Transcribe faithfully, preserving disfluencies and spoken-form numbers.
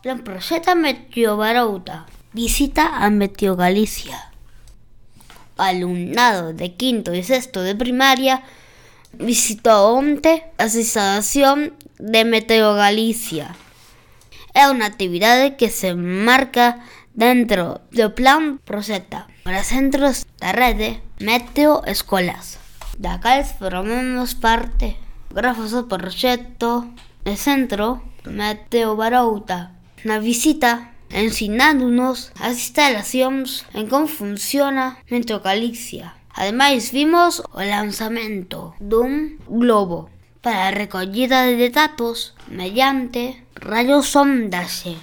Plan proxecta Meteo Barouta. Visita a Meteo Galicia. Alumnado de quinto e sexto de primaria visitou onte as instalacións de Meteo Galicia. É unha actividade que se marca dentro do plan Proxecta para centros da rede Meteo Escolas, da cales formamos parte. Grazas ao proxecto de centro Meteo Barouta. Na visita ensinándonos as instalacións en como funciona Meteo Galicia. Ademais vimos o lanzamento dun globo para a recollida de datos mediante radiosondaxe.